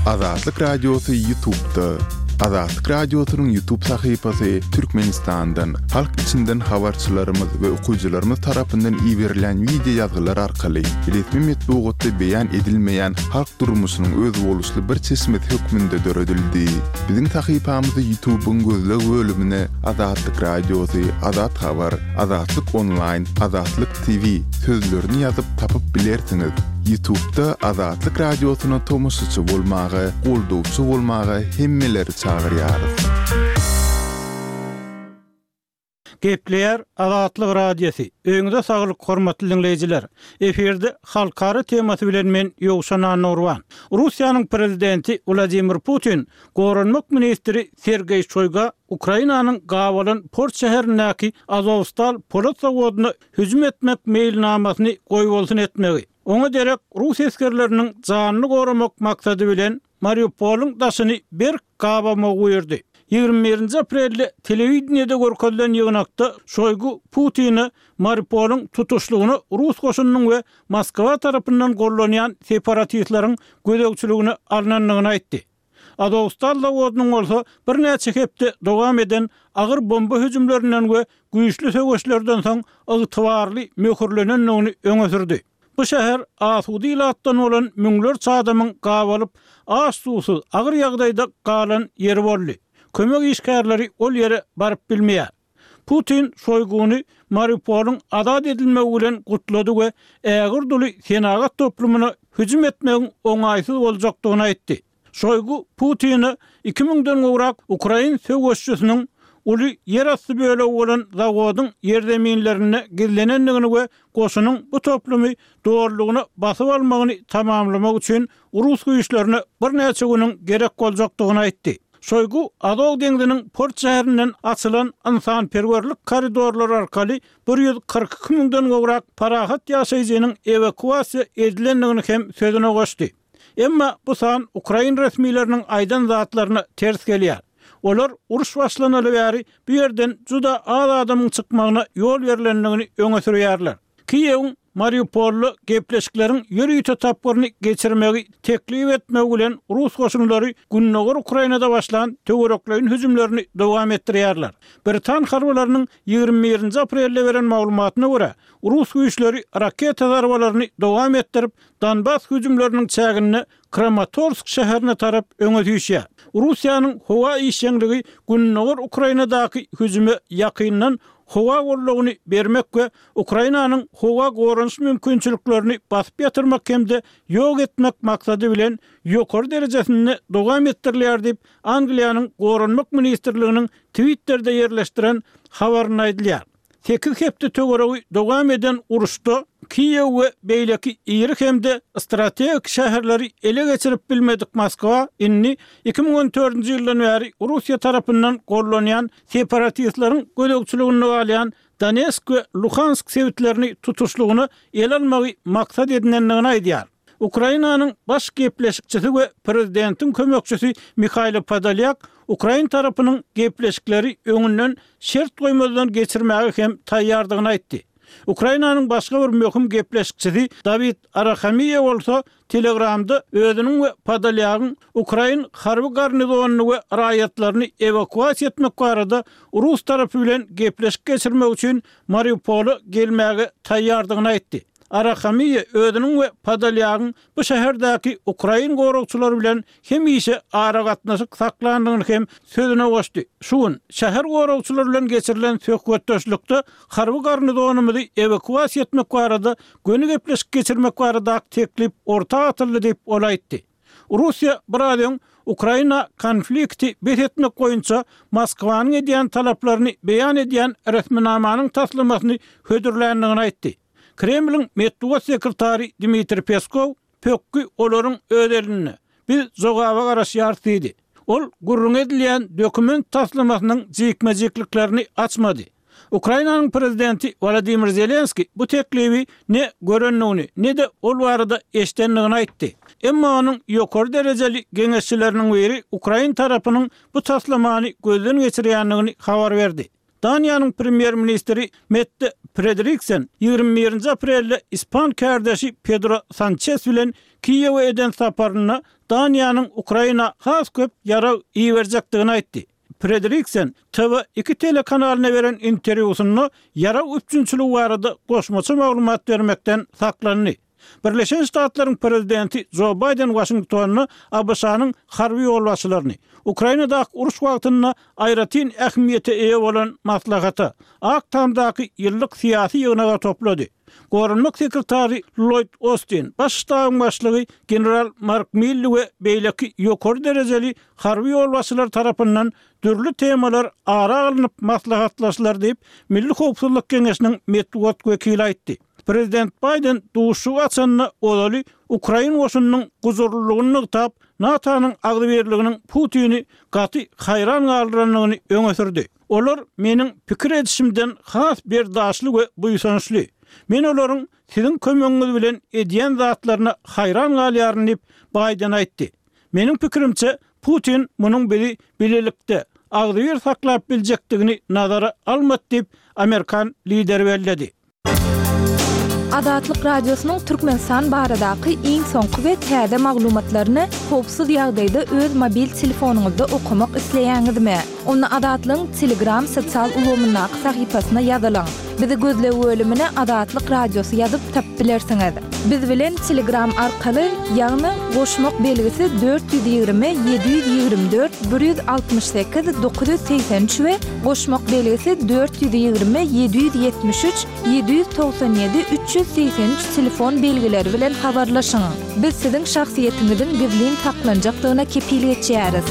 Azatlyk Radiosy Ýutubda. Azatlyk Radiosynyň Ýutub sahypasy Türkmenistandan, halk içinden habarçylarymyz we okyjylarymyz tarapyndan iberilýän wideo ýazgylar arkaly resmi metbugatda beýan edilmeýän halk durmuşynyň özboluşly bir çeşmesi hökmünde döredildi. Biziň sahypamyzy Ýutubyň gözleg bölümine Azatlyk Radiosy, Azat Habar, Azatlyk Onlaýn, Azatlyk TV sözlerini ýazyp tapyp bilersiňiz. Ýutubda Azatlyk Radiosyna tomaşaçy bolmaga, goldawçy bolmaga hemmeleri çagyrýarys. Gepleýär Azatlyk Radiosy. Öýüňize saglyk hormatly diňleýjiler. Efirde halkara temasy bilen men Ýowşan Annagurban. Russiýanyň prezidenti Wladimir Putin Goranmak ministri Sergeý Şoýga Ukrainanyň gabalan port şäherindäki Azowstal polat zawodyna hüjüm etmek meýilnamasyny goýbolsun etmegi, oňa derek rus esgerleriniň janyny goramak maksady bilen Mariupolyň daşyny berk gabamagy buýurdy. Ýigrimi birinji aprelde telewideniýede görkezilen ýygnakda Şoýgu Putine Mariupolyň tutuşlygyna rus goşunynyň we Moskwa tarapyndan gollanýan separatistleriň gözegçiligine alnandygyny aýtdy. Azowstal zawodynyň bolsa birnäçe hepde dowam eden agyr bomba hüjümlerinden we güýçli söweşlerden soň ygtybarly möhürlenendigini öňe sürdi. Bu şäher asuda ilatdan bolan müňlerçe adamyň gabalyp, aç-suwsuz, agyr ýagdaýda galan ýeri boldy. Kömek işgärleri ol ýere baryp bilmeýär. Putin Şoýguny Mariupolyň azat edilmegi bilen gutlady we ägirt uly senagat toplumyna hüjüm etmegiň oňaýsyz boljakdygyny aýtdy. Şoýgu Putine iki müňden gowrak ukrain söweşçisiniň uly ýerasty bölegi bolan zawodyň ýerzeminlerinde gizlenendigini we goşunyň bu toplumy dolulygyna basyp almagyny tamamlamak üçin rus güýçlerine birnäçe günüň gerek boljakdygyny aýtdy. Şoýgu Azow deňziniň port şäherinden açylan ynsanperwerlik koridorlary arkaly 142 müňden gowrak parahat ýaşaýjynyň ewakuasiýa edilendigini hem sözüne goşdy. Emma bu san ukrain resmileriniň aýdan zatlaryna ters gelýär. Olar uruş başlanaly bäri bu ýerden juda az adamyň çykmagyna ýol berlendigini öňe sürýärler. Kiýewiň Mariupolda gepleşikleriň ýörite tapgyryny geçirmegi teklip etmegi bilen rus goşunlary gündogar Ukrainada başlan töwerekleýin hüjümlerini dowam etdirýärler. Britan harbylarynyň 21-nji aprelde beren maglumatyna görä, rus güýçleri raketa zarbalaryny dowam etdirip, Donbas hüjümleriniň çäginde Kramatorsk şäherine tarap öňe süýşýär. Russiýanyň howa işjeňligi gündogar Ukrainadaky hüjüme ýakyndan howa goldawyny bermek we Ukrainanyň howa goranyş mümkinçiliklerini basyp ýatyrmak hem-de ýok etmek maksady bilen ýokary derejesinde dowam etdirilýär diýip, Angliýanyň Goranmak ministrliginiň Twitterde ýerleşdiren habarynda aýdylýar. Sekiz hepde töweregi dowam eden uruşda Kiýew we beýleki iri hem-de strategik şäherleri ele geçirip bilmedik Moskwa indi 2014-nji ýyldan bäri Russiýa tarapyndan gollanýan separatistleriň gözegçiliginde galýan Donetsk we Luhansk sebitlerini tutuşlygyna ele almagy maksat edinendigini aýdýar. Ukrainanyň baş gepleşikçisi we prezidentiň kömekçisi Mihailo Podolýak ukrain tarapynyň gepleşikleri öňünden şert goýmazdan geçirmäge hem taýýardygyny aýtdy. Ukrainanyň başga bir möhüm gepleşikçisi Dawid Arahamiýa bolsa Telegramda özüniň we Podolýagyň ukrain harby garnizonyny we raýatlaryny ewakuasiýa etmek barada rus tarapy bilen gepleşik geçirmek üçin Mariupola gelmäge taýýardygyny aýtdy. Arahamiýa özüniň we Podolýagyň bu şäherdäki ukrain goragçylary bilen hemişe aragatnaşyk saklandygyny hem sözüne goşdy. Şu gün, şäher goragçylary bilen geçirilen söhbetdeşlikde harby garnizonymyzy ewakuasiýa etmek barada göni gepleşik geçirmek baradaky teklip orta atyldy diýip, ol aýtdy. Russiýa biraz öň Ukraina konflikti bes etmek boýunça Moskwanyň edýän talaplaryny beýan edýän resminamanyň taslamasyny hödürländigini aýtdy. Kremliň metbugat sekretary Dmitriý Peskow Pökgi olaryň öz elinde. Biz jogaba garaşýarys diýdi. Ol gürrüňi edilýän dokument taslamasynyň jikme-jikliklerini açmady. Ukrainanyň prezidenti Wolodymyr Zelenskiý bu teklibi ne görendigini, ne-de ol barada eşidendigini aýtdy. Emma onuň ýokary derejeli geňeşçileriniň biri ukrain tarapynyň bu taslamany gözden geçirýändigini habar berdi. Daniýanyň premýer-ministri Mette Frederiksen 21-nji aprelde ispan kärdeşi Pedro Sançes bilen Kiýewe eden saparynda Daniýanyň Ukraina has köp ýarag iberjekdigini aýtdy. Frederiksen TV iki telekanalyna beren interwýusynda ýarag üpjünçiligi barada goşmaça maglumat bermekden saklandy. Birleşen Ştatlaryň prezidenti Jo Baýden Waşingtonda ABŞ-nyň harby ýolbaşçylaryny Ukrainadaky uruş wagtynda aýratyn ähmiýete eýe bolan maslahata, Ak Tamdaky ýyllyk syýasy ýygnaga toplady. Goranmak sekretary Lloýd Ostin, Baş ştabyň başlygy general Mark Milli we beýleki ýokary derejeli harby ýolbaşçylar tarapyndan dürli temalar ara alnyp maslahatlaşylar diýip, Milli howpsuzlyk geňeşiniň metbugat wekili aýtdy. Prezident Baýden duşuşygy açanda ozaly ukrain goşunynyň gujurlylygyny nygtap, NATO-nyň agzybirliginiň Putini gaty haýran galdyrandygyny öňe sürdi. Olar meniň pikir edişimden has berdaşly we buýsançly. Men olaryň siziň kömegiňiz bilen edýän zatlaryna haýran galýaryn diýip, Baýden aýtdy. Meniň pikirimçe, Putin munuň bizi bilelikde, agzybir saklap biljekdigini nazara almady diýip, amerikan lideri belledi. Azatlyk Radiosynyň Türkmenistan baradaky iň soňky we täze maglumatlaryny howpsuz ýagdaýda öz mobil telefonyňyzda okamak isleýäňizmi? Onda Azatlygyň Telegram sosial ulgamyndaky sahypasyna ýazylyň. Bizi gözleg bölümine Azatlyk Radiosy ýazyp tapyp bilersiňiz. Biz bilen Telegram arkaly, ýagny goşmak belgisi 420 724 168 983 we goşmak belgisi 420 773 797 383 telefon belgileri bilen habarlaşyň. Biz siziň şahsyýetiňiziň gizlin saklanjakdygyna kepil geçýäris.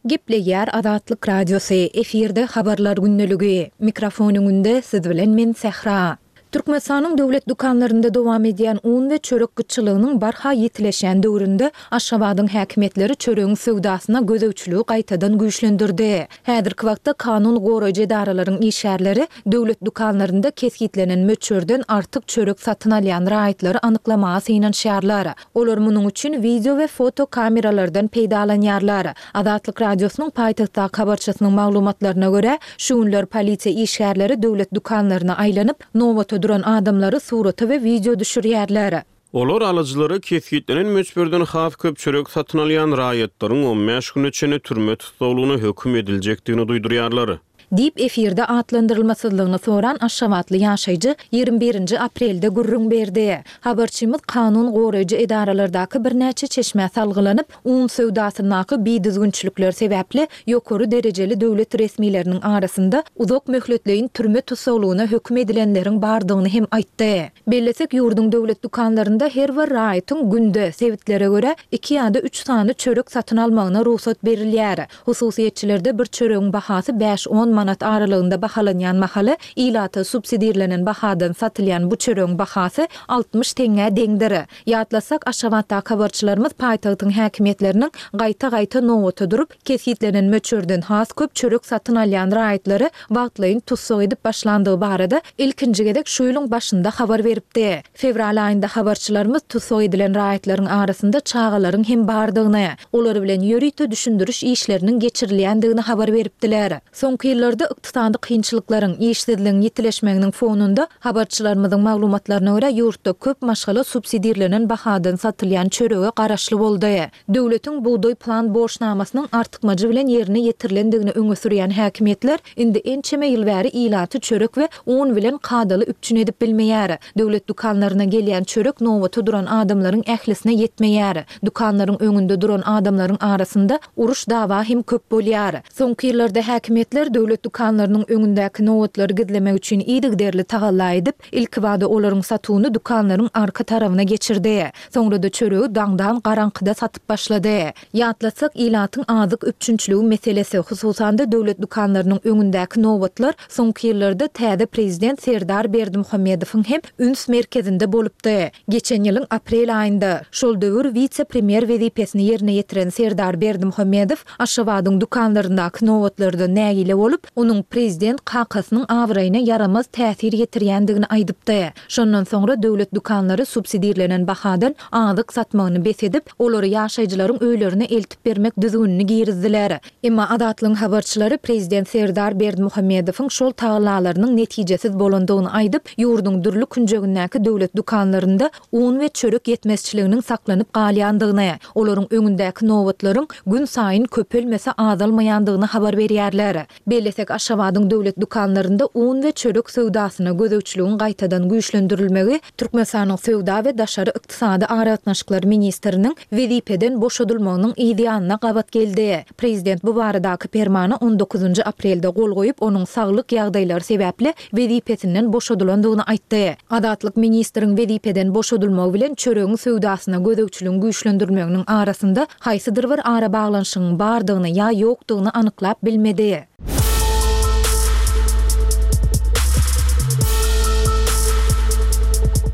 Gepleýär Azatlyk Radiosy, efirde Habarlar gündeligi. Mikrofon öňünde siz bilen men Sähra. Türkmenistanyň döwlet dükanlarynda dowam edýän un we çörek gytçylygynyň barha ýitileşýän döwründe Aşgabadyň häkimiýetleri çöregiň söwdasyna gözegçiligi gaýtadan güýçlendirdi. Häzirki wagtda kanun goraýjy edaralaryň işgärleri döwlet dükanlarynda kesgitlenen möçberden artyk çörek satyn alýan raýatlary anyklamaga synanyşýarlar. Olar munuň üçin wideo we foto kameralardan peýdalanýarlar. Azatlyk Radiosynyň paýtagtdaky habarçysynyň maglumatlaryna görä, şu günler polisiýa işgärleri döwlet dükanlaryna aýlanyp, nobata duran adamlary surata we wideo düşürýärler. Olar alyjylara kesgitlenen möçberden has köp çörek satyn alýan raýatlaryň on bäş güne çenli türme tussaglygyna höküm ediljekdigini duýdurýarlar. Diýip, efirde atlandyrylmasyzlygyny soran aşgabatly ýaşaýjy 21 birinji aprelde gürrüň berdi. Habarçymyz kanun goraýjy edaralardaky birnäçe çeşmä salgylanyp, un söwdasyndaky bidüzgünçilikler sebäpli ýokary derejeli döwlet resmileriniň arasynda uzak möhletleýin türme tussaglygyna höküm edilenleriň bardygyny hem aýtdy. Bellesek, ýurduň döwlet dükanlarynda her bir raýatyň günde, sebitlere görä, iki ýa-da üç sany çörek satyn almagyna rugsat berilýär. Hususyýetçilerde bir çöregiň bahasy bäş-on manat aralygynda bahalanýan mahaly, ilata subsidirlenen bahadan satylýan bu çöregiň bahasy 60 teňňä deňdir. Ýatlasak, Aşgabatdaky habarçylarymyz paýtagtyň häkimiýetleriniň gaýta-gaýta nobata durup, kesgitlenen möçberden has köp çörek satyn alýan raýatlary wagtlaýyn tussag edip başlandygy barada ilkinji gezek şu ýylyň başynda habar beripdi. Fewral aýynda habarçylarymyz tussag edilen raýatlaryň arasynda çagalaryň hem bardygyny, olar bilen ýörite düşündiriş işleriniň geçirilýändigini habar beripdiler. Soňky ýyllarda ykdysady kynçylyklaryň, işsizligiň ýitileşmeginiň fonunda, habarçylarymyzyň maglumatlaryna görä, ýurtda köp maşgala subsidirlenen bahadan satylýan çörege garaşly boldy. Döwletiň bugdaý plan borçnamasynyň artykmajy bilen ýerine ýetirilendigini öňe sürýän häkimiýetler indi ençeme ýyl bäri ilaty çörek we un bilen kadaly üpjün edip bilmeýär. Döwlet dükanlaryna gelýän çörek nobata duran adamlaryň ählisine ýetmeýär. Dükanlaryň öňünde duran adamlaryň arasynda uruş-dawa hem köp bolýar. Soňky ýyllarda häkimiýetler döwlet dükanlarynyň öňündäki nobatlary gizlemek üçin yzygiderli tagalla edip, ilkibada olaryň satuwyny dükanlaryň arka tarabyna geçirdi. Soňra-da çöregi daňdan garaňkyda satyp başlady. Ýatlatsak, ilatyň azyk üpjünçiligi meselesi, hususan-da döwlet dükanlarynyň öňündäki nobatlar soňky ýyllarda täze prezident Serdar Berdimuhamedowyň hem üns merkezinde bolupdy. Geçen ýylyň aprel aýynda, şol döwür wise-premýer wezipesini ýerine ýetiren Serdar Berdimuhamedow Aşgabadyň dükanlaryndaky nobatlardan nägile bolup, onuň prezident kakasynyň abraýyna ýaramaz täsir ýetirýändigini aýdypdy. Şondan soňra döwlet dükanlary subsidirlenen bahadan azyk satmagyny bes edip, olary ýaşaýjylaryň öýlerine eltip bermek düzgünini girizdiler. Emma Azatlygyň habarçylary prezident Serdar Berdimuhamedowyň şol tagallalarynyň netijesiz bolandygyny aýdyp, ýurduň dürli künjegindäki döwlet dükanlarynda un we çörek ýetmezçiliginiň saklanyp galýandygyny, olaryň öňündäki nobatlaryň günsaýyn köpelmese azalmaýandygyny habar berýärler. Bellesek, Aşgabadyň döwlet dükanlarynda un we çörek söwdasyna gözegçiligiň gaýtadan güýçlendirilmegi Türkmenistanyň söwda we daşary ykdysady aragatnaşyklar ministriniň wezipeden boşadylmagynyň yz ýanyna gabat geldi. Prezident bu baradaky permana on dokuzynjy aprelde gol goýup, onuň saglyk ýagdaýlary sebäpli wezipesinden boşadylandygyny aýtdy. Azatlyk ministriň wezipeden boşadylmagy bilen çöregiň söwdasyna gözegçiligiň güýçlendirilmeginiň arasynda haýsydyr bir arabaglanyşygyň bardygyny ýa ýokdugyny anyklap bilmedi.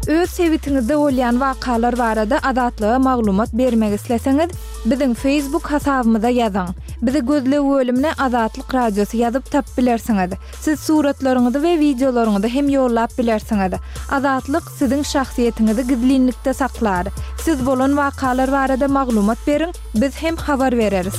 Öz sebitiňizde bolýan wakalar barada Azatlyga maglumat bermek isleseňiz, biziň Facebook hasabymyza ýazyň. Bizi gözleg bölümine Azatlyk Radiosy ýazyp tapyp bilersiňiz. Siz suratlaryňyzy we wideolaryňyzy hem ýollap bilersiňiz. Azatlyk siziň şahsyýetiňizi gizlinlikde saklar. Siz bolan wakalar barada maglumat beriň, biz hem habar bereris.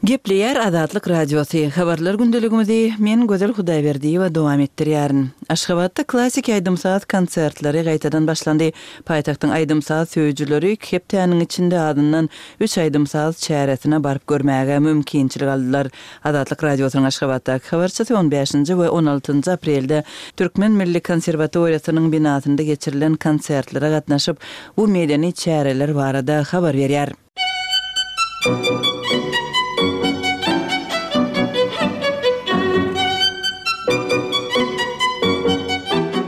Gepleýär Azatlyk Radiosy, Habarlar gündeligimizi men Gözel Hudaýberdiýewa dowam etdirýärin. Aşgabatda klassiki aýdym-saz konsertleri gaýtadan başlandy. Paýtagtyň aýdym-saz söýüjileri iki hepdäniň içinde azyndan üç aýdym-saz çäresine baryp görmäge mümkinçilik aldylar. Azatlyk Radiosynyň Aşgabatdaky habarçysy on bäşinji we on altynjy aprelde Türkmen milli konserwatoriýasynyň binasynda geçirilen konsertlere gatnaşyp, bu medeni çäreler barada habar berýär.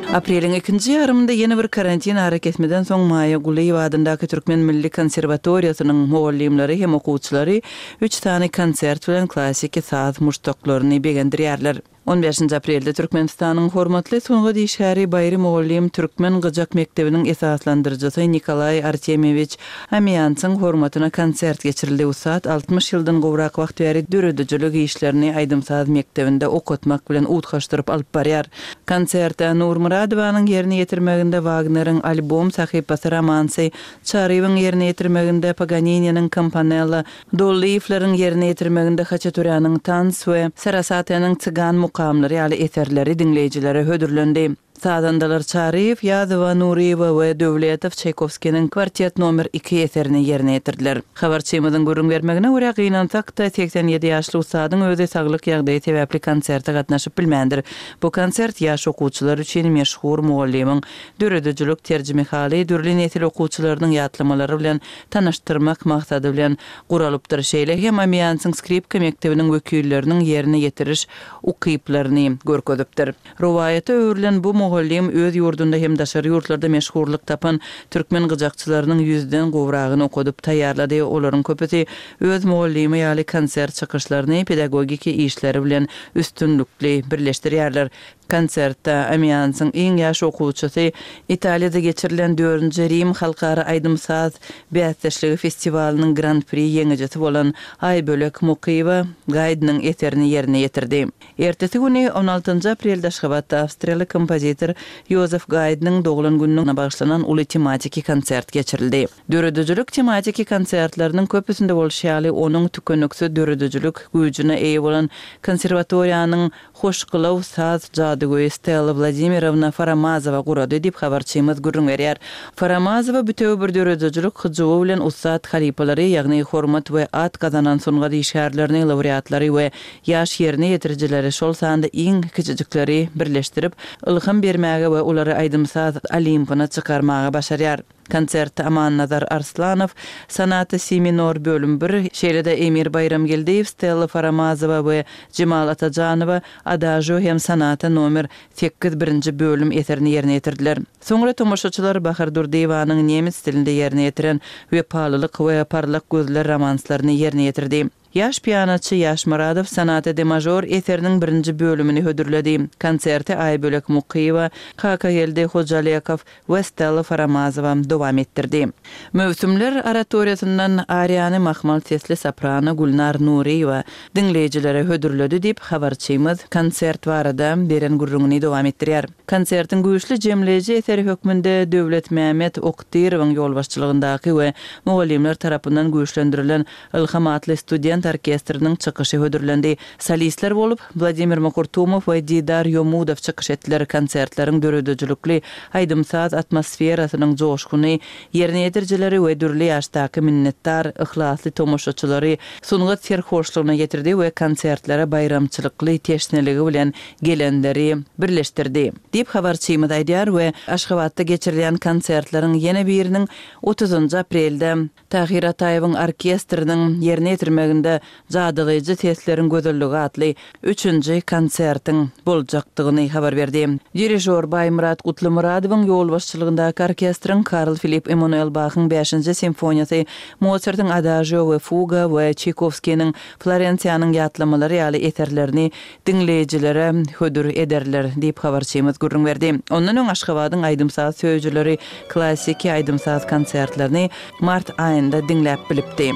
Apreliň ikinji ýarymynda ýene bir karantin arakesmeden soň Maýa Gulyýewa adyndaky Türkmen milli konserwatoriýasynyň mugallymlary hem okuwçylary üç sany konsert bilen klassiki saz muşdaklaryny begendirýärler. On bäşinji aprelde Türkmenistanyň hormatly sungat işgäri Baýry mugallym türkmen gyjak mekdebiniň esaslandyryjysy Nikolaý Artemýewiç Amiýansyň hormatyna konsert geçirildi. Ussat 60 ýyldan gowrak wagt bäri döredijilik işlerini aýdym-saz mekdebinde okatmak bilen utgaşdyryp alyp barýar. Konsertde Nurmyradowanyň ýerine ýetirmeginde Wagneriň Albom sahypasy romansy, Çaryýewiň ýerine ýetirmeginde Paganininiň Kampanella, Dollyýewleriň ýerine ýetirmeginde Haçaturýanyň Tans we Sarasateniň Cygan mukamlary ýaly eserleri diňleýjilere hödürlendi. Sazandalar Çaryýew, Ýazowa, Nuryýewa we Döwletow Çaýkowskiniň Kwartet nomer iki eserini ýerine ýetirdiler. Habarçymyzyň gürrüň bermegine görä, gynansak-da, 87 ýaşly ussadyň özi saglyk ýagdaýy sebäpli konserte gatnaşyp bilmändir. Bu konsert ýaş okuwçylar üçin meşhur mugallymyň döredijilik terjimehaly, dürli nesil okuwçylarynyň ýatlamalary bilen tanyşdyrmak maksady bilen guralypdyr. Şeýle hem Amiansyň skripka mekdebiniň wekilleriniň ýerine ýetiriş ukyplaryny görkezipdir. Rowaýata öwrülen bu mugallym öz ýurdunda hem daşary ýurtlarda meşhurlyk tapan türkmen gyjakçylarynyň ýüzden gowragyny okadyp taýýarlady. Olaryň köpüsi öz mugallymy ýaly konsert çykyşlaryny pedagogiki işleri bilen üstünlikli birleşdirýärler. Konsertde Amiansyň iň ýaş okuwçysy, Italiýada geçirilen dördünji Rim halkara aýdym-saz bäsdeşligi festiwalynyň Gran-pri ýeňijisi bolan Aýbölek Mukyýewa Gaýdnyň eserini ýerine ýetirdi. Ertesi güni, on altynjy aprelde Aşgabatda awstriýaly kompozitor Ýozef Gaýdnyň doglan gününe bagyşlanan uly tematiki konsert geçirildi. Döredijilik tematiki konsertleriniň köpüsinde bolşy ýaly, onuň tükeniksiz döredijilik güýjüne eýe bolan konserwatoriýanyň Hoşgylaw saz jadygöýi Stella Wladimirowna Faramazowa gurady diýip, habarçymyz gürrüň berýär. Faramazowa bütewi bir döredijilik hyjuwy bilen ussat halypalary, ýagny hormat we at gazanan sungat işgärlerini, laureatlary we ýaş ýerine ýetirijileri, şol sanda iň kiçijikleri birleşdirip, ylham bermäge we olary aýdym-saz Olimpyna çykarmaga başarýar. Konsertde Amannazar Arslanow, Sonata Si minor bölüm bir, şeýle-de Emir Baýramgeldiýew, Stella Faramazowa we Jemal Atajanowa Adažio hem Sonata nomer sekiz birinji bölüm eserini ýerine ýetirdiler. Soňra tomaşaçylar Bahar Durdyýewanyň nemes dilinde ýerine ýetiren Wepalylyk we Parlak gözler romanslaryny ýerine ýetirdi. Ýaş pianoçy Ýaş Myradow Sonata de mažor eseriniň birinji bölümini hödürledi. Konserti Aýbölek Mukyýewa, Kakageldi Hojalekow we Stella Faramazowa dowam etdirdi. Möwsümler oratoriýasyndan ariýany mahmal sesli soprano Gülnar Nuryýewa diňleýjilere hödürledi diýip, habarçymyz konsert barada beren gürrüňini dowam etdirýär. Konsertiň güýçli jemleýji eseri hökmünde Döwletmämmet Okdyrowyň ýolbaşçylygyndaky we mugallymlar tarapyndan güýçlendirilen Ylham atly student orkestriniň çykyşy hödürlendi. Solistler bolup, Wladimir Makurtumow we Didar Ýomudow çykyş etdiler. Konsertleriň döredijilikli aýdym-saz atmosferasynyň joşguny ýerine ýetirijileri we dürli ýaşdaky minnetdar, yhlasly tomaşaçylary sungat serhoşlugyna getirdi we konsertlere baýramçylykly teşneligi bilen gelenleri birleşdirdi. Diýip, habarçymyz aýdýar we Aşgabatda geçirilýän konsertleriň ýene biriniň otuzynjy aprelde Tahyr Ataýewiň orkestriniň ýerine ýetirmeginde Jadylaýjy sesleriň gözelligi atly üçünji konsertiň boljakdygyny habar berdi. Dirižýor Baýmyrat Gutlymyradowyň ýolbaşçylygyndaky orkestriň Karl Filipp Emmanuel Bahyň bäşinji simfoniýasy, Mosartyň Adažio we Fuga we Çaýkowskiniň Florensiýanyň ýatlamalary ýaly eserlerini diňleýjilere hödür ederler, diýip, habarçymyz gürrüň berdi. Ondan öň Aşgabadyň aýdym-saz söýüjileri klassiki aýdym-saz konsertlerini mart aýynda diňläp bilipdi.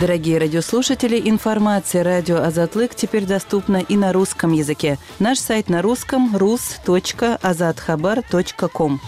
Дорогие радиослушатели, информация радио Азатлык теперь доступна и на русском языке. Наш сайт на русском rus.azathabar.com.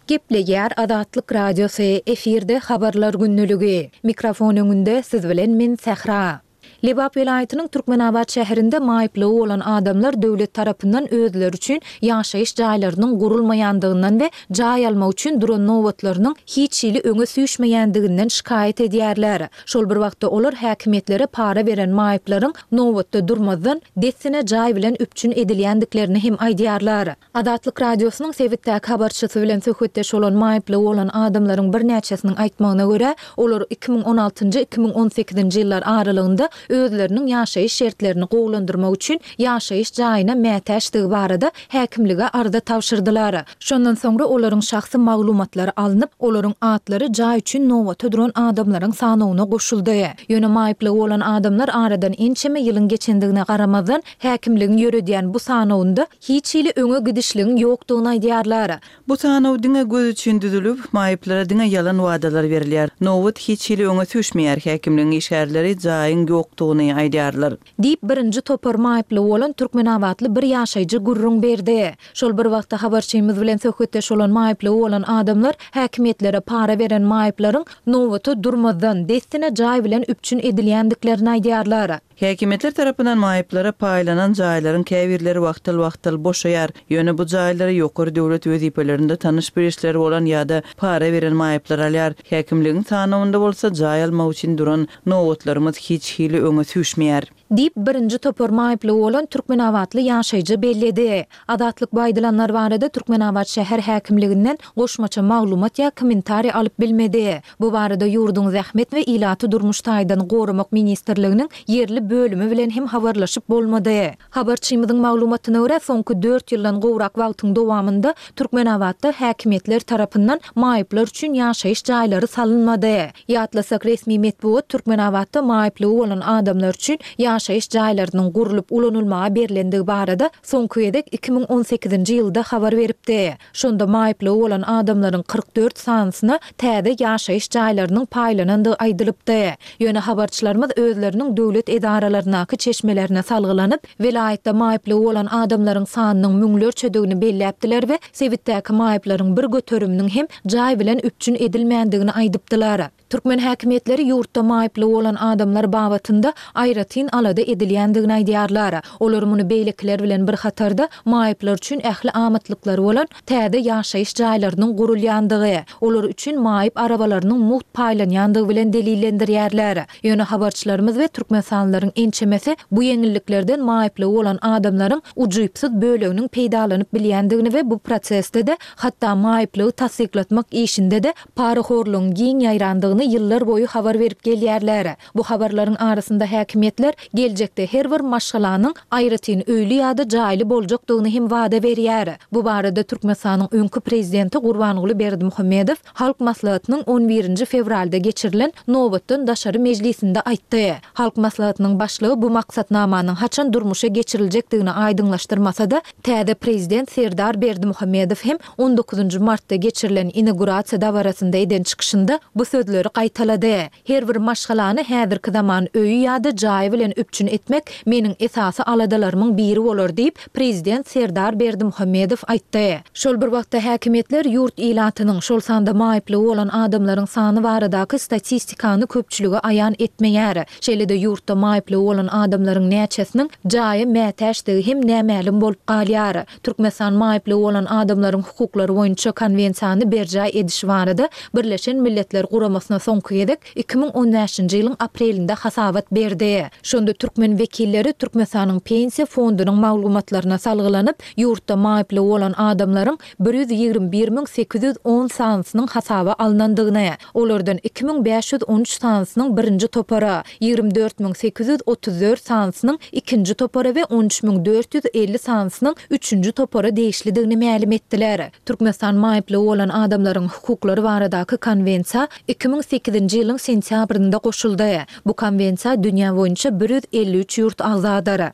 Gepleýär Azatlyk Radiosy, efirde Habarlar gündeligi. Mikrofon öňünde siz bilen men Sähra. Lebap welaýatynyň Türkmenabat şäherinde maýyplygy bolan adamlar döwlet tarapyndan özleri üçin ýaşaýyş jaýlarynyň gurulmaýandygyndan we jaý almak üçin duran nobatlarynyň hiç hili öňe süýşmeýändiginden şikaýat edýärler. Şol bir wagtda olar häkimiýetlere para beren maýyplaryň nobatda durmazdan, dessine jaý bilen üpjün edilýändiklerini hem aýdýarlar. Azatlyk Radiosynyň sebitdäki habarçysy bilen söhbetdeş bolan maýyplygy bolan adamlaryň birnäçesiniň aýtmagyna görä, olar 2016-njy, 2018-nji ýyllar aralygynda özleriniň ýaşaýyş şertlerini gowulandyrmak üçin ýaşaýyş jaýyna mätäçdigi barada häkimlige arza tabşyrdylar. Şondan soňra olaryň şahsy maglumatlary alnyp, olaryň atlary jaý üçin nobata duran adamlaryň sanawyna goşuldy. Ýöne maýyplygy bolan adamlar aradan ençeme ýylyň geçendigine garamazdan, häkimligiň ýöredýän bu sanawynda hiç hili öňe gidişligiň ýokdugyny aýdýarlar. Bu sanaw diňe göz üçin düzülip, maýyplara diňe ýalan wadalar berilýär. Nobat hiç hili öňe süýşmeýär, häkimligiň işgärleri jaýyň ýokdugyny aýdýarlar. Diýip, birinji topar maýyplygy bolan türkmenabatly bir ýaşaýjy gürrüň berdi. Şol bir wagtda habarçymyz bilen söhbetdeş bolan maýyplygy bolan adamlar häkimiýetlere para beren maýyplaryň nobata durmazdan, dessine jaý bilen üpjün edilýändiklerini aýdýarlar. Häkimiýetler tarapyndan maýyplara paýlanan jaýlaryň käbirleri wagtal-wagtal boşaýar. Ýöne bu jaýlary ýokary döwlet wezipelerinde tanyş-bilişleri bolan ýa-da para beren maýyplar alýar. Häkimligiň sanawynda bolsa jaý almak üçin duran nobatlarymyz hiç hili öňe süýşmeýär. Diýip, birinji topar maýyplygy bolan türkmenabatly ýaşaýjy belledi. Azatlyk bu aýdylanlar barada Türkmenabat şäher häkimliginden goşmaça maglumat ýa kommentariý alyp bilmedi. Bu barada ýurduň Zähmet we ilaty durmuş taýdan goramak ministrliginiň ýerli bölümi bilen hem habarlaşyp bolmady. Habarçymyzyň maglumatyna görä, soňky dört ýyldan gowrak wagtyň dowamynda Türkmenabatda häkimiýetler tarapyndan maýyplar üçin ýaşaýyş jaýlary salynmady. Ýatlasak, resmi metbugat Türkmenabatda maýyplygy bolan adamlar üçin ýaşaýyş jaýlarynyň gurlup ulanylmaga berlendigi barada soňky gezek 2018-nji ýylda habar beripdi. Şonda maýyplygy bolan adamlaryň 44 sanysyna täze ýaşaýyş jaýlarynyň paýlanandygy aýdylypdy. Ýöne habarçylarymyz özleriniň döwlet edaralaryndaky çeşmelerine salgylanyp, welaýatda maýyplygy bolan adamlaryň sanynyň müňlerçedigini belläpdiler we sebitdäki maýyplaryň bir göteriminiň hem jaý bilen üpjün edilmändigini aýdypdylar. Türkmen häkimiýetleri ýurtda maýyplygy bolan adamlar babatynda aýratyn alada edilýändigini aýdýarlar. Olar muny beýlekiler bilen bir hatarda, maýyplar üçin ähli amatlyklary bolan täze ýaşaýyş jaýlarynyň gurulýandygy, olar üçin maýyp arabalarynyň mugt paýlanýandygy bilen delillendirýärler. Ýöne habarçylarymyz we türkmenistanlylaryň ençemesi bu ýeňilliklerden maýyplygy bolan adamlaryň ujypsyz böleginiň peýdalanyp bilýändigini we bu prosesde-de, hatda maýyplygy tassyklatmak işinde-de parahorlugyň giň ýaýrandygyny. başlandygyny ýyllar boýy habar berip gelýärler. Bu habarlaryň arasynda häkimiýetler geljekde her bir maşgalanyň aýratyn öýli ýa-da jaýly boljakdygyny hem wada berýär. Bu barada Türkmenistanyň öňki prezidenti Gurbanguly Berdimuhamedow Halk Maslahatynyň on birinji fewralda geçirilen nobatdan daşary mejlisinde aýtdy. Halk Maslahatynyň başlygy bu maksatnamanyň haçan durmuşa geçiriljekdigini aýdyňlaşdyrmasa-da, täze prezident Serdar Berdimuhamedow hem on dokuzynjy martda geçirilen inagurasiýa dabarasynda eden çykyşynda bu sözleri gaýtalady. Her bir maşgalany häzirki zaman öýi ýa-da jaýy bilen üpjün etmek meniň esasy aladalarymyň biri bolar diýip, prezident Serdar Berdimuhamedow aýtdy. Şol bir wagtda, häkimiýetler ýurt ilatynyň, şol sanda maýyplygy bolan adamlaryň sany baradaky statistikany köpçülige aýan etmeýär. Şeýle-de ýurtda maýyplygy bolan adamlaryň näçesiniň jaýa mätäçdigi hem nämälim bolup galýar. Türkmenistan maýyplygy bolan adamlaryň hukuklary boýunça Konwensiýany berjaý edişi barada Birleşen Milletler Guramasyna soňky gezek 2015-nji ýylyň aprelinde hasabat berdi. Şonda türkmen wekilleri Türkmenistanyň Pensiýa fondunyň maglumatlaryna salgylanyp, ýurtda maýyplygy bolan adamlaryň 121 810 sanysynyň hasaba alnandygyny, olardan 2513 sanysynyň birinji topara, 24 834 sanysynyň ikinji topara we 13 450 sanysynyň üçünji topara degişlidigini mälim etdiler. Türkmenistan maýyplygy bolan adamlaryň hukuklary baradaky Konwensiýa 2008-nji ýylyň sentýabrynda goşuldy. Bu Konwensiýa dünýä boýunça 153 ýurt agzadyr.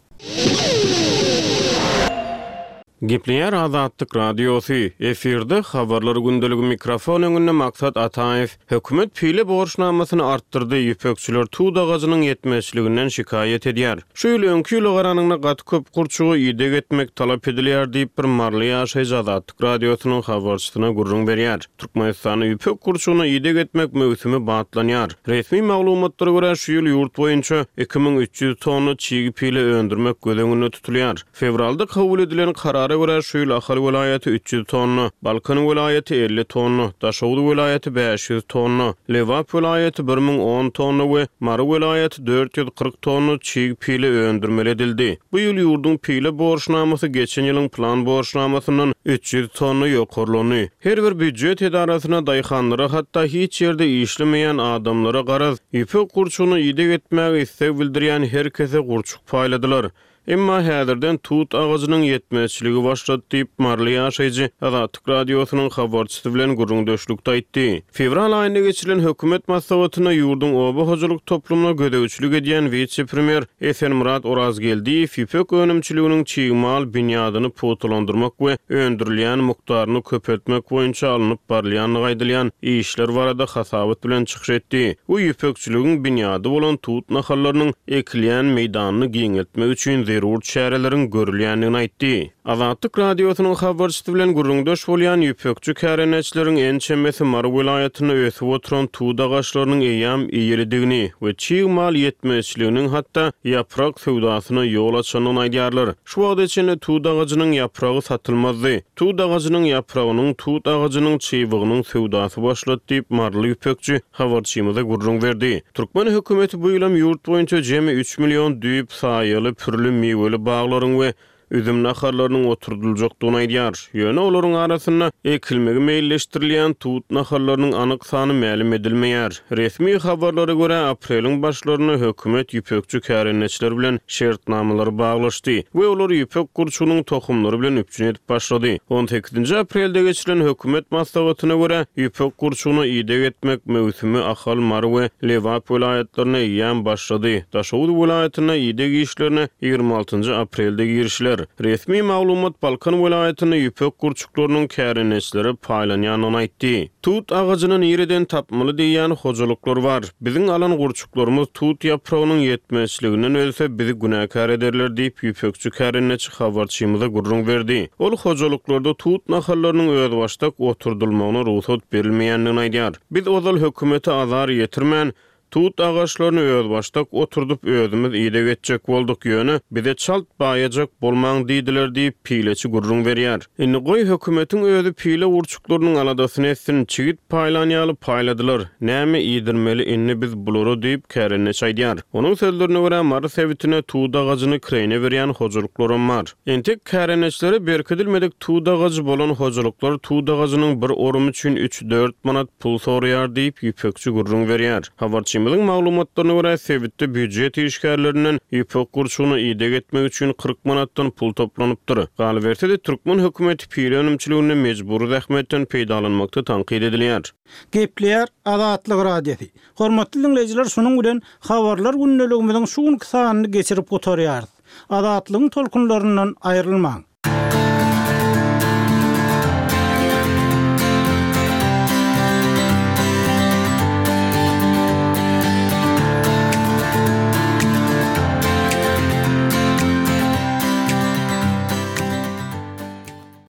Gepleýär Azatlyk Radiosy, Efirde Habarlar gündeligi mikrofon öňünde Maksat Ataýew. Hökümet pile borçnamasyny artdyrdy, ýüpekçiler tut agajynyň ýetmezçiliginden şikaýat edýär. Şu ýyl öňki ýyla garanyňda gaty köp gurçuga ideg etmek talap edilýär diýip, bir maryly ýaşaýjy Azatlyk Radiosynyň habarçysyna gürrüň berýär. Türkmenistanda ýüpek gurçugyna ideg etmek möwsümi batlanýar. Resmi maglumatlara görä, şu ýyl ýurt boýunça 2300 tonna çig pile öndürmek göz öňünde tutulýar. Fewralda kabul edilen karara görä, şu ýyl Ahal welaýaty 300 tonna, Balkan welaýaty 50 tonna, Daşoguz welaýaty 500 tonna, Lebap welaýaty 1010 tonna we Mary welaýaty 440 tonna çig pile öndürmeli edildi. Bu ýyl ýurduň pile borçnamasy geçen ýylyň plan borçnamasyndan 300 tonna ýokarlandy. Her bir býujet edarasyna, daýhanlara, hatda hiç ýerde işlemeýän adamlara, garaz, ýüpek gurçugyna ideg etmäge isleg bildirýän her kese gurçuk paýladylar. Emma häzirden tut agajynyň ýetmezçiligi başlady diýip, maryly ýaşaýjy Azatlyk Radiosynyň habarçysy bilen gürrüňdeşlikde aýtdy. Fewral aýynda geçirilen hökümet maslahatynda ýurduň oba hojalyk toplumyna gözegçilik edýän wise-premýer Esenmyrat Orazgeldiýew ýüpek önümçiliginiň çig mal binýadyny pugtalandyrmak we öndürilýän mukdaryny köpeltmek boýunça alnyp barylýandygy aýdylýan işler barada hasabat bilen çykyş etdi we ýüpekçiligiň binýady bolan tut nahallarynyň ekilýän meýdanyny giňeltmek üçin zerur çäreleriň görülýändigini aýtdy. Azatlyk Radiosynyň habarçysy bilen gürrüňdeş bolýan ýüpekçi kärendeçileriň ençemesi Mary welaýatynda ösüp oturan tut agaçlarynyň eýýäm eýelidigini we çig mal ýetmezçiliginiň hatda ýaprak söwdasyna ýol açandygyny aýdýarlar. Şu wagta çenli tut agajynyň ýapragy satylmazdy. Tut agajynyň ýapragynyň, tut agajynyň çybygynyň söwdasy başlady diýip, maryly ýüpekçi habarçymyza gürrüň berdi. Türkmen hökümeti bu ýylam ýurt boýunça jemi üç million düýp saýaly, pürli, miweli baglaryň we üzüm nahallarynyň oturdyljakdygyny aýdýar. Ýöne olaryň arasynda ekilmegi meýilleşdirilýän tut nahallarynyň anyk sany mälim edilmeýär. Resmi habarlara görä, apreliň başlarynda hökümet ýüpekçi kärendeçiler bilen şertnamalary baglaşdy we olary ýüpek gurçugynyň tohumlary bilen üpjün edip başlady. On sekizinji aprelde geçirilen hökümet maslahatyna görä, ýüpek gurçugyna ideg etmek möwsümi Ahal, Mary we Lebap welaýatlarynda eýýäm başlady. Daşoguz welaýatynda ideg işlerine 26-njy aprelde girişiler. Resmi maglumat Balkan welaýatynda ýüpek gurçuklarynyň kärendeçilere paýlanýandygyny aýtdy. Tut agajyny nireden tapmaly diýýän hojalyklar bar. Biziň alan gurçuklarymyz tut ýapragynyň ýetmezçiliginden ölse, bizi günäkär ederler diýip, ýüpekçi kärendeçi habarçymyza gürrüň berdi. Ol hojalyklarda tut nahallarynyň özbaşdak oturdylmagyna rugsat berilmeýändigini aýdýar. Biz ozal hökümete azar ýetirmän, Tut agaçlaryny özbaşdak oturdyp, özümiz ideg etjek bolduk, ýöne bize çalt baýajak bolmaň diýdiler diýip, pileçi gürrüň berýär. Indi goý, hökümetiň özi pile gurçuklarynyň aladasyny etsin, çigit paýlan ýaly paýladylar, näme iýdirmeli indi biz bulara diýip, kärendeçi aýdýar. Onuň sözlerine görä, Mary sebitinde tut agajyny kireýne berýän hojalyklaram bar. Entek kärendeçilere berkidilmedik tut agajy bolan hojalyklar tut agajynyň bir orumy üçin üç-dört manat pul soraýar diýip, ýüpekçi gürrüň berýär. Habarçymyzyň maglumatlaryna görä, sebitde býujet işgärlerinden ýüpek gurçugyna ideg etmek üçin 40 manatdan pul toplanypdyr. Galyberse-de, türkmen hökümeti pile önümçiliginde mejbury zähmetden peýdalanmakda tankyt edilýär. Gepleýär Azatlyk Radiosy. Hormatly diňleýjiler, şunuň bilen Habarlar gündeligimiziň şu günki sanyny geçirip gutarýarys. Azatlygyň tolkunlaryndan aýrylmaň!